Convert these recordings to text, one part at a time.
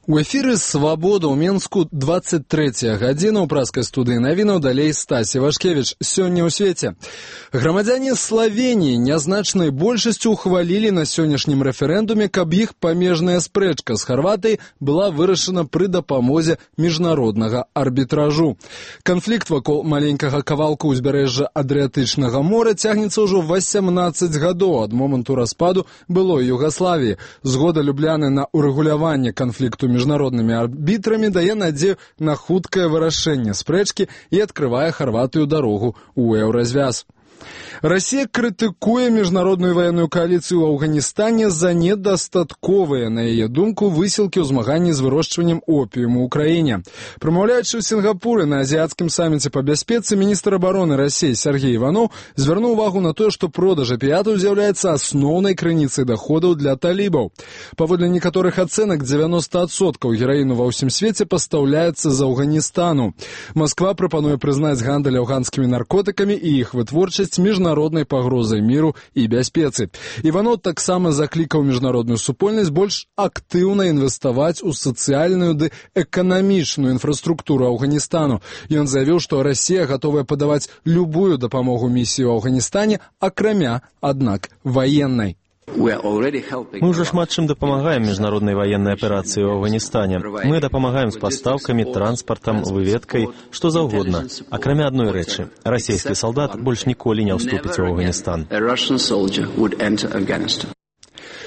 У эфіры «Свабода» ў Менску 23-я гадзіна ў праскай студыі навінаў, далей Стась Івашкевіч. Сёння ў свеце. Грамадзяне Славеніі нязначнай большасцю ухвалілі на сённяшнім рэферэндуме, каб іх памежная спрэчка з Харватыяй была вырашана пры дапамозе міжнароднага арбітражу. Канфлікт вакол маленькага кавалка ўзбярэжжа Адрыятычнага мора цягнецца ўжо 18 гадоў ад моманту распаду былой Югаславіі. Згода Любляны на урэгуляванне канфлікту міжнароднымі арбітрамі дае надзею на хуткае вырашэнне спрэчкі і адкрывае Харватыю дарогу ў еўразвяз. Россия крытыкуе міжнародную ваенную коалицию в Афганистане за недостатковые, на ее думку, высілкі ў змаганні з вырошчваннем опіуму ў краіне. Прамаўляючы ў Сінгапуры на азіяцкім самміце по бяспецы, міністр обороны России Сергей Иванов звярнуў увагу на то, что продаж опіятаў з'яўляецца асноўнай крыніцай доходаў для талібаў. Паводле некаторых ацэнак, 90% гераіну ва ўсім свеце пастаўляецца з Афганістану. Москва прапануе прызнаць гандаль афганскімі наркотыкамі і іх вытворчасць міжнароднай пагрозай міру і бяспецы. Іванов таксама заклікаў міжнародную супольнасць больш актыўна інвеставаць у сацыяльную ды эканамічную інфраструктуру Афганістану. Ён заявіў, што Расія гатовая падаваць любую дапамогу місіі ў Афганістане, акрамя, аднак, ваеннай. Мы уже шмат чым дапамагаем міжнароднай ваеннай аперацыі ў Афганістане. Мы дапамагаем з пастаўкамі, транспартам, выведкай, што заўгодна. Акрамя адной рэчы, расійскі салдат больш ніколі не ўступіць у Афганістан.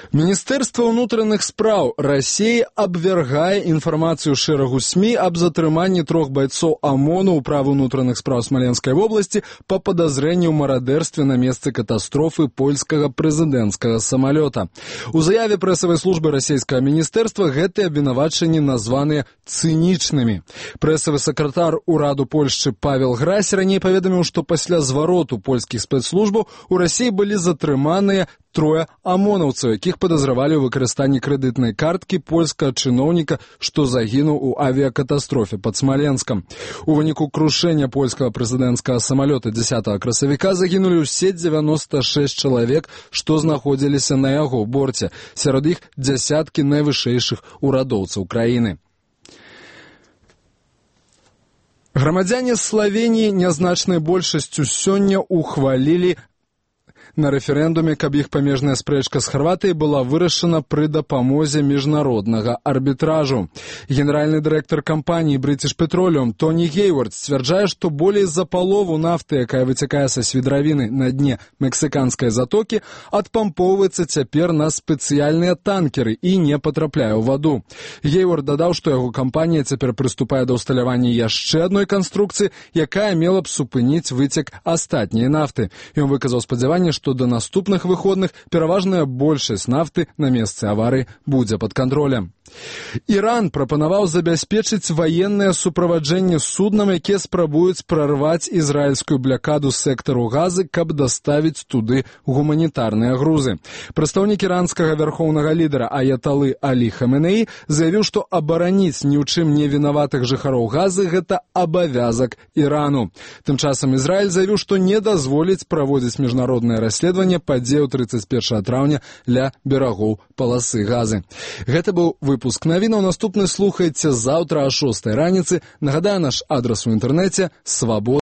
Міністэрства ўнутраных спраў России абвяргае інфармацыю шэрагу СМІ аб затрыманні 3 байцоў ОМОНу ў правы ўнутраных спраў Смаленскай вобласці па падазрэнні ў марадэрстве на месцы катастрофы польскага прэзідэнцкага самалёта. У заяве прэсавай службы расійскага міністэрства гэтыя абвінавачанні названыя цынічнымі. Прэсавы сакратар ураду Польшчы Павел Грась раней паведаміў, што пасля звароту польскіх спецслужбаў у Расіі былі затрыманыя 3 ОМОНаўцаў, якіх падазравалі ў выкарыстанні крэдытнай карткі польскага чыноўніка, што загінуў у авіякатастрофе пад Смаленскам. У выніку крушэння польскага прэзідэнцкага самалёта 10 красавіка загінулі ўсе 96 чалавек, што знаходзіліся на яго борце. Сярод іх дзясяткі найвышэйшых урадоўцаў краіны. Грамадзяне Славеніі нязначнай большасцю сёння ухвалілі на рэферэндуме, каб іх памежная спрэчка з Харватыяй была вырашана пры дапамозе міжнароднага арбітражу. Генеральны дырэктар кампаніі British Petroleum Тоні Гейвард сцвярджае, што болей за палову нафты, якая выцякае са свідравіны на дне мексіканскай затокі, адпампоўваецца цяпер на спецыяльныя танкеры і не патрапляе ў ваду. Гейвард дадаў, што яго кампанія цяпер прыступае да ўсталявання яшчэ адной канструкцыі, якая мела б супыніць выцек астатняй нафты. Ён выказаў спадзяванне, што до наступных выходных пераважная большасць нафты на месцы аварыі будзе пад кантролем. Іран прапанаваў забяспечыць ваеннае суправаджэнне суднам, якія спрабуюць прарваць ізраільскую блякаду сектару Газы, каб даставіць туды гуманітарныя грузы. Прадстаўнік іранскага вярхоўнага лідара Аяталы Алі Хаменеі заявіў, што абараніць ні ў чым не вінаватых жыхароў Газы – гэта абавязак Ірану. Тым часам Ізраіль заявіў, што не дазволіць праводзіць міжнароднае расследаванне падзеяў 31 траўня ля берагоў паласы Газы. Гэта быў выпуск навінаў. Наступны слухайце заўтра о 6 раніцы. Нагадаю, наш адрас у інтэрнэце свабода.